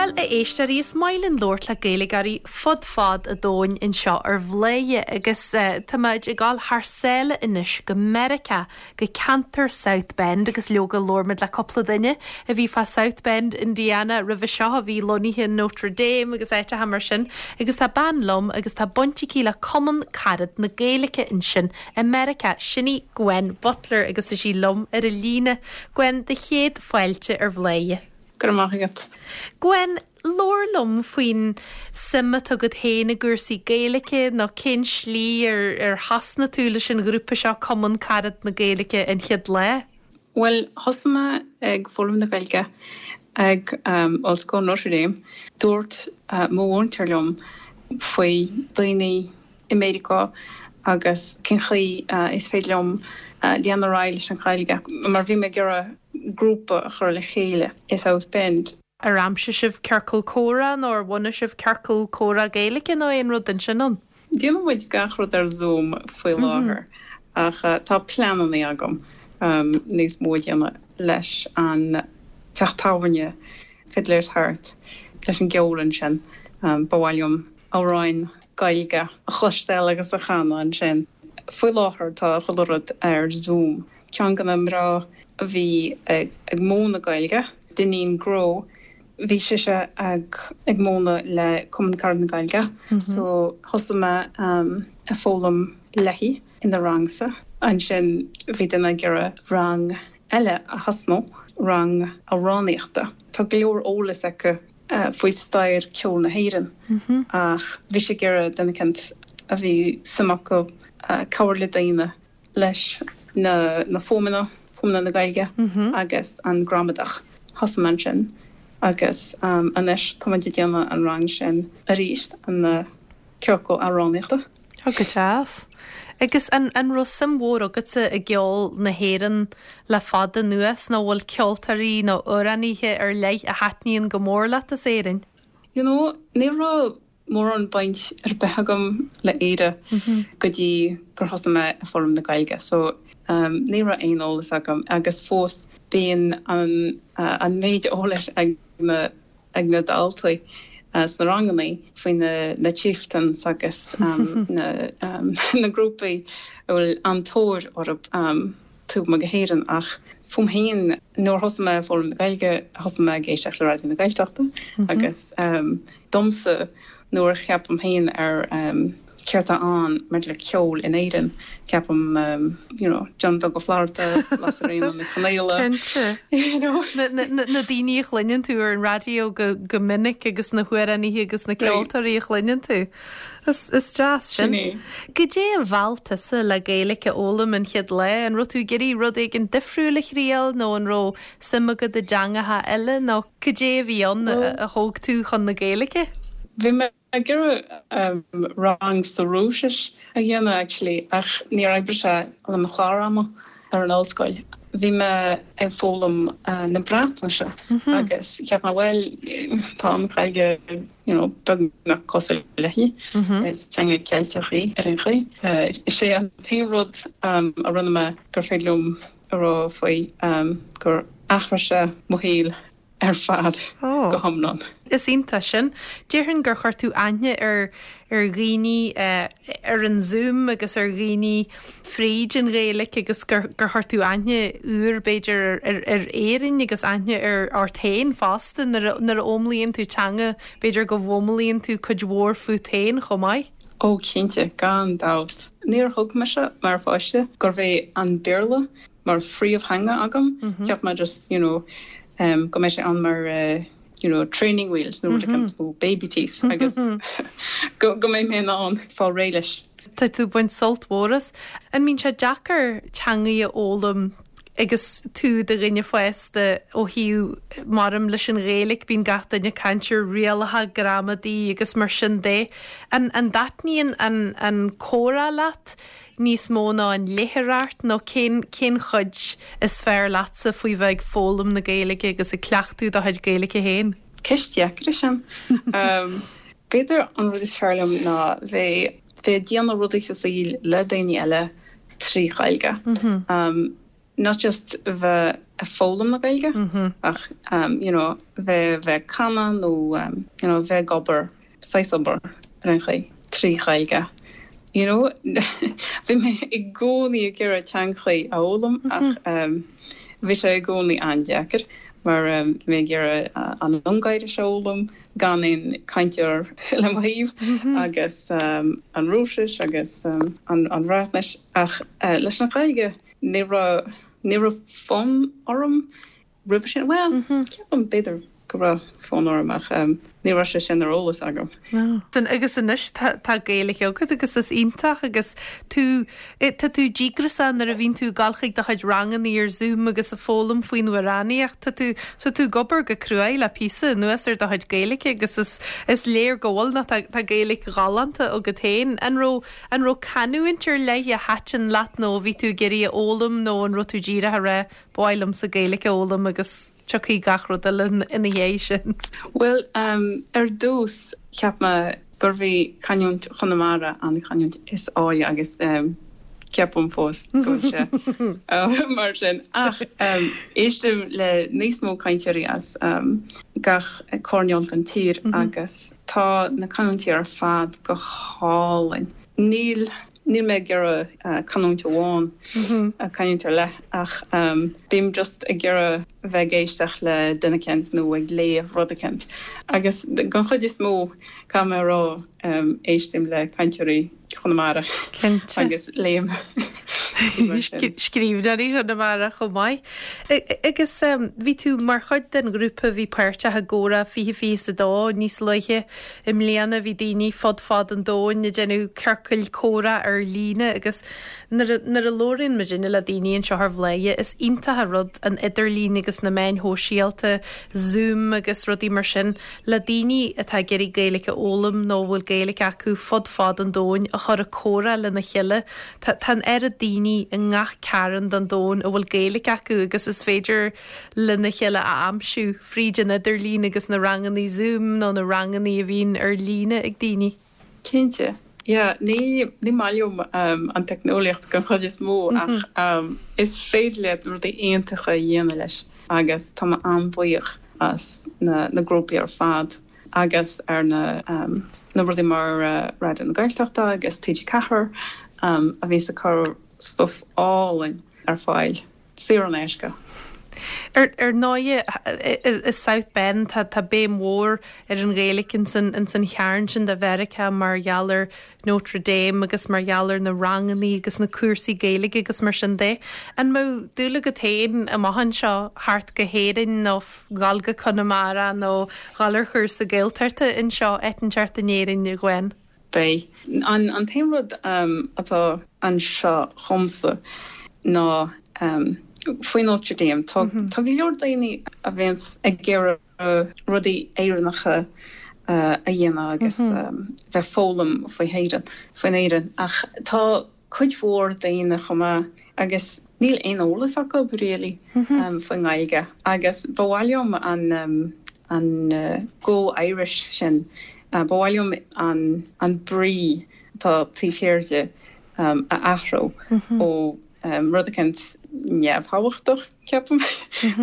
Bhuel, a éisteoirí, is maith linn labhairt le Gaeilgeoirí fud fad an domhain anseo ar Bhladhaire agus tá muid ag dul thar sáile anois go Meiriceá, go ceantar South Bend agus leoga labhair muid le cúpla duine a bhí fá South Bend, Indiana roimhe seo, a bhí lonnaithe in Notre Dame agus áiteacha mar sin agus tá bean liom agus tá baint aici le Cumann Carad na Gaeilge ansin i Meiriceá, sin í Gwen Butler agus is í liom ar an líne. Gwen, do chéad fáilte ar Bhladhaire. Go raibh maith agat. Gwen, labhair liom faoin suim atá agat féin i gcúrsaí Gaeilge nó cén slí ar ar thosnaigh tú leis an ghrúpa seo Cumann Carad na Gaeilge an chéad lá? Bhuel, thosaigh mé ag foghlaim na Gaeilge ag Ollscoil Notre Dame. Dúirt mo mhúinteoir liom faoi daoine i Meiriceá agus cén chaoi is féidir liom lean ar aghaidh leis an Ghaeilge mar bhí mé ag iarraidh grúpa a chur le chéile i South Bend. Ar aimsigh sibh ciorcal comhrá nó ar bhunaigh sibh ciorcal comhrá Gaeilge nó aon rud den sin ann? Déanann muid gach rud ar Zoom faoi láthair ach tá pleananna agam níos mó a dhéanamh leis an teach tábhairne Fiddler's Hearth leis an gceol ansin. Ba mhaith liom amhráin Gaeilge a chloisteáil agus a chanadh ansin. Faoi láthair tá chuile rud ar Zoom. Ceann de na mná a bhí ag múineadh Gaeilge, Dineen Grow, bhí sise ag múineadh le Cumann Carad na Gaeilge so thosaigh mé ag foghlaim léi ina rangsa. Ansin bhí duine ag iarraidh rang eile a thosnú, rang amhránaíochta. Tá go leor eolas aici faoi stair ceoil na hÉireann ach bhí sí ag iarraidh duine eicínt a bhí suim acu cabhair le daoine leis na na fuaimeanna, fuaimeanna na Gaeilge agus an gramadach. Thosaigh mé ansin agus anois tá muid ag déanamh an rang sin arís, an ciorcal amhránaíochta. Ó go deas. Agus an an raibh suim mhór agatsa i gceol na hÉireann le fada anuas nó bhfuil ceoltóirí nó amhránaithe ar leith a thaitníonn go mór leat as Éirinn? You know, ní raibh mórán baint ar bith agam le Éire go dtí gur thosaigh mé ag foghlaim na Gaeilge so ní raibh aon eolas agam agus fós bíonn an an méid eolais ag na ag na daltaí sna ranganna faoi na Chieftains agus na na grúpaí a bhfuil an-tóir orthu taobh amuigh de hÉirinn ach fúm féin nuair a thosaigh mé ag foghlaim na Gaeilge thosaigh mé ag éisteacht le Raidió na Gaeltachta agus domsa nuair a cheapaim féin ar céard atá ann maidir le ceol in Éirinn, ceapaim you know John Beag Ó Flatharta, Lasairfhíona Ní Chonaola, Cinnte. you know. Na, na, na, na daoine a chluineann tú ar an raidió go, go minic agus na hamhránaithe agus na ceoltóirí a chluineann tú. Is, is deas sin. Sin é. Goidé a mheall tusa le Gaeilge a fhoghlaim an chéad lá? An raibh tú ag iarraidh rud éigin difriúil a thriail nó an raibh suim agat i dteangacha eile nó goidé a bhí ann a, a thóg tú chun na Gaeilge? Bhí mé ag iarraidh rang sa Rúisis a dhéanamh actually ach níor oibrigh sé le mo chlár ama ar an ollscoil. Bhí mé ag foghlaim na Breatnaise agus cheap mé bhuel tá an Ghaeilge you know beagnach cosúil léi, is teanga Ceilteach í ar aon chaoi. Is é an t-aon rud a rinne mé gur féidir liom a rá faoi gur athraigh sé mo shaol. ar fad go hiomlán. Is iontach sin. Déarfainn gur chuir tú aithne ar ar dhaoine ar an Zoom agus ar dhaoine fríd an Ghaeilge agus gur gur chuir tú aithne úr b'fhéidir ar ar Éirinn agus aithne ar ort féin fosta nuair a nuair a fhoghlaimíonn tú teanga b'fhéidir go bhfoghlaimíonn tú cuid mhór fút féin chomh maith. Ó cinnte, gan dabht. Níor thuig mise mar pháiste gurbh é an Béarla mar phríomhtheanga agam. Cheap mé just, you know, go mbeidh sé ann mar you know, training wheels nó rud éicint nó baby teeth agus go go mbeidh mé in ann fáil réidh leis. Tá tú ag baint sult mhór as. An mbíonn sé deacair teangaí a fhoghlaim agus tú i do dhuine fásta ó thaobh maram leis an Ghaeilge bíonn gach duine ag caint ar rialacha gramadaí agus mar sin de. An an dtaitníonn an an comhrá leat níos mó ná an léitheoireacht nó cén cén chuid is fearr leatsa faoi bheith ag foghlaim na Gaeilge agus ag cleachtadh do chuid Gaeilge féin? Ceist dheacair í sin. B'fhéidir an rud is fearr liom ná bheith bheith ag déanamh rudaí sa saol le daoine eile trí Ghaeilge. Not just bheith. ag foghlaim na Gaeilge ach you know bheith bheith ag canadh nó you know bheith ag obair, saghas obair ar aon chaoi, trí Ghaeilge. You know bhí mé i gcónaí ag iarraidh teangachaí a fhoghlaim ach bhí sé i gcónaí an-deacair mar bhí mé ag iarraidh an Ungáiris a fhoghlaim gan aon cainteoir le mo thaobh agus an Rúisis agus an Bhreatnais ach leis an Ghaeilge ní raibh ní raibh fonn orm roimhe sin. Bhuel, ceapaim b'fhéidir go raibh fonn orm ach ní raibh sé sin ar eolas agam. Agus anois tá Gaeilge agat agus is iontach agus tú, tá tú díograiseach nuair a bhíonn tú ag dul chuig do chuid ranganna ar Zoom agus ag foghlaim faoin amhránaíocht, tá tú, tá tú ag obair go cruaidh le píosa anuas ar do chuid Gaeilge agus is, is léir go bhfuil nó tá, tá Gaeilge ghalánta agat féin. An raibh, an raibh canúint ar leith a thaitin leat nó a bhí tú ag iarraidh a fhoghlaim nó an raibh tú díreach ag rá Ba mhaith liomsa Gaeilge a fhoghlaim agus tiocfaidh gach rud eile ina dhiaidh sin. Bhuel, ar dtús, cheap mé gurbh í canúint Chonamara an chanúint is áille agus ceapaim fós go bhfuil sé mar sin. Ach éistim le níos mó cainteoirí as gach coirnéal den tír agus tá na canúintí ar fad go hálainn. Níl. Níl mé ag iarraidh canúint amháin, canúint ar leith, ach bím just ag iarraidh bheith ag éisteacht le duine eicínt nó ag léamh rud eicínt. Agus den chuid is mó, caithfidh mé a rá, éistim le cainteoirí Chonamara agus léim mar sin. Scríbhneoirí Chonamara chomh maith. Agus bhí tú mar chuid den ghrúpa a bhí páirteach i gComhrá 2022 níos luaithe I mbliana bhí daoine fud fad an domhain ag déanamh ciorcail comhrá ar líne agus nuair a nuair a labhraíonn muidinne le daoine anseo ar Bhladhaire is iontach an rud an idirlíon agus na meáin shóisialta, Zoom agus rudaí mar sin le daoine atá ag iarraidh Gaeilge a fhoghlaim nó a bhfuil Gaeilge acu fud fad an domhain a chur ag comhrá lena chéile. Tá tá an oiread daoine i ngach cearn den domhan a bhfuil Gaeilge acu agus is féidir lena chéile a aimsiú fríd an idirlíon agus na rangannaí Zoom nó na rangannaí a bhíonn ar líne ag daoine. Cinnte, yeah. Ní ní maith liom an teicneolaíocht den chuid is mó ach is féidir leat rudaí iontacha a dhéanamh leis agus tá mé an-bhuíoch as na na grúpaí ar fad agus ar na na rudaí mar Raidió na Gaeltachta agus TG4 a bhíos ag cur stuif álainn ar fáil. saor in aisce. Ar ndóighe, i South Bend tá béim mhór ar an Ghaeilge ins an chearn sin de Mheiriceá mar gheall ar Notre Dame agus mar gheall ar na rangannaí agus na cúrsaí Gaeilge agus mar sin de. An mbeadh dúil agat féin amach anseo theacht go hÉirinn nó dhul go Conamara nó dhul ar chúrsa Gaeltachta anseo, áit inteacht in Éirinn, a Ghwen? Beidh. An t-aon rud atá anseo dhomsa ná faoi Notre Dame. Tá go leor daoine a bhíonns ag iarraidh rudaí Éireannacha a dhéanamh agus bheith foghlaim faoi hÉireann, faoin Éirinn ach tá cuid mhór daoine chomh maith agus níl aon eolas acu really faoin nGaeilge agus ba mhaith liom an an Go Irish sin, ba mhaith liom an an brí atá taobh thiar de a athrú ó rud eicínt neamhthábhachtach, ceapaim,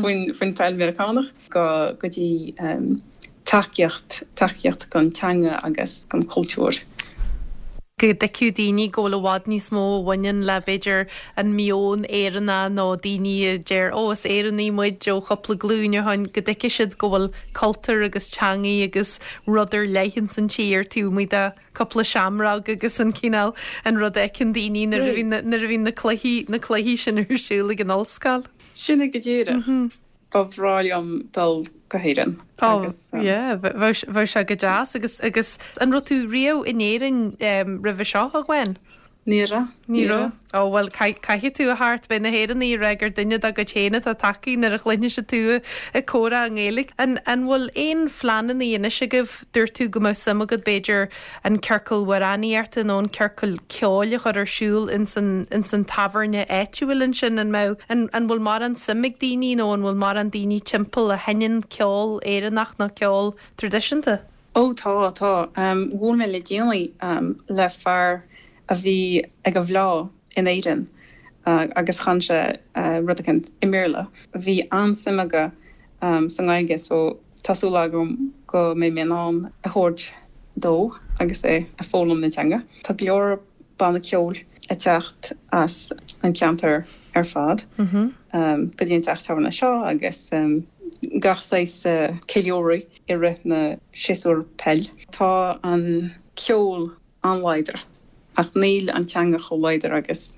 faoin faoin pheil Meiriceánach go go dtí tacaíocht, tacaíocht don teanga agus don chultúr. go dtuigfeadh daoine go bhfuil i bhfad níos mó a bhaineann le, b'fhéidir, an meon Éireannach nó daoine a deir 'Ó, is Éireannaigh muid ó chúpla glúin ó shin', go dtuigfidh siad go bhfuil cultúr agus teangaidh agus rud ar leith ins an tír taobh amuigh de cúpla seamróg agus an cineál, an rud a fheiceann daoine nuair a bhíonn, nuair a bhíonn na cluichí, na cluichí sin ar siúl ag an ollscoil. Sin é go díreach. Ba bhreá liom dul go hÉirinn agus. Oh yeah, bheadh sé go deas agus agus an raibh tú riamh in Éirinn roimhe seo, a Ghwen? Ní raibh, ní raibh. Ó bhuel caithfidh tú a theacht, beidh na hÉireannaigh ag rá gur duine dá gcuid féin atá tagtha nuair a chluinfidh siad tú ag comhrá i nGaeilge. An an bhfuil aon phleananna anois agaibh, dúirt tú go mbeadh suim agat b'fhéidir an ciorcal amhránaíochta nó an ciorcal ceoil a chur ar siúl ins an, ins an tábhairne áitiúil ansin, an mbeadh, an, an bhfuil mórán suim ag daoine nó an bhfuil mórán daoine timpeall a sheinneann ceol Éireannach nó ceol traidisiúnta? Ó tá, tá. Bhuail mé le déanaí le fear a bhí ag an bhFleá in Éirinn. agus chan sé rud eicínt i mBéarla. Bhí an-suim aige sa nGaeilge so tá súil agam go mbeidh mé in ann a thabhairt dó agus é ag foghlaim na teanga. Tá go leor banna ceoil ag teacht as an ceantar ar fad go dtí an teach tábhairne seo agus gach saghas ceiliúradh i rith na séasúr peil. Tá an ceol an-láidir ach níl an teanga chomh láidir agus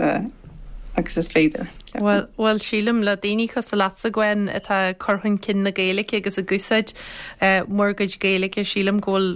agus is féidir, ceapaim. Bhuel, bhuel, sílim, le daoine cosúil leatsa, Gwen, atá ag cur chun cinn na Gaeilge agus ag úsáid bhur gcuid Gaeilge, sílim go bhfuil,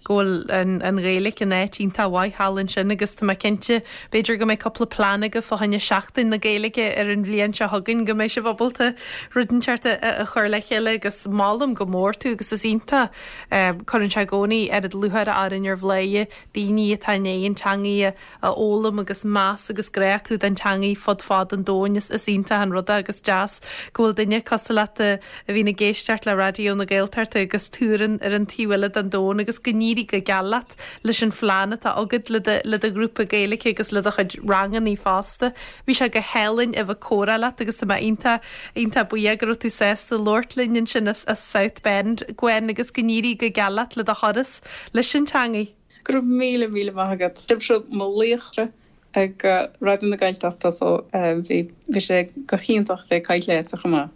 go bhfuil an, an Ghaeilge in áit iontach mhaith thall ansin agus tá mé cinnte, b'fhéidir go mbeidh cúpla plean agaibh fá choinne Seachtain na Gaeilge ar an bhliain seo chugainn, go mbeidh sibh ábalta rud inteacht a, a chur le chéile agus molaim go mór tú agus is iontach Cuireann sé i gcónaí oiread lúcháire orainn ar Bhladhaire daoine atá i ndiaidh an teangaidh a fhoghlaim agus meas agus grá acu don teangaidh fud fad an domhain. Is iontach an rud é agus deas go bhfuil duine cosúil leat a bhíonn ag éisteacht le Raidió na Gaeltachta agus tú ar an ar an taobh eile den domhan agus go n-éirí go geal leat leis an phlean atá agat le do le do ghrúpa Gaeilge agus le do chuid rangannaí fosta. Bhí sé go hálainn a bheith ag comhrá leat agus tá mé iontach, iontach buíoch go raibh tú sásta labhairt linn ansin as as South Bend, Gwen, agus go n-éirí go geal leat le do thuras leis an teangaidh. Go raibh míle, míle maith agat. Sibhse mo laochra ag Raidió na Gaeltachta so bhí, bhí sé go hiontach bheith ag caint leatsa chomh maith.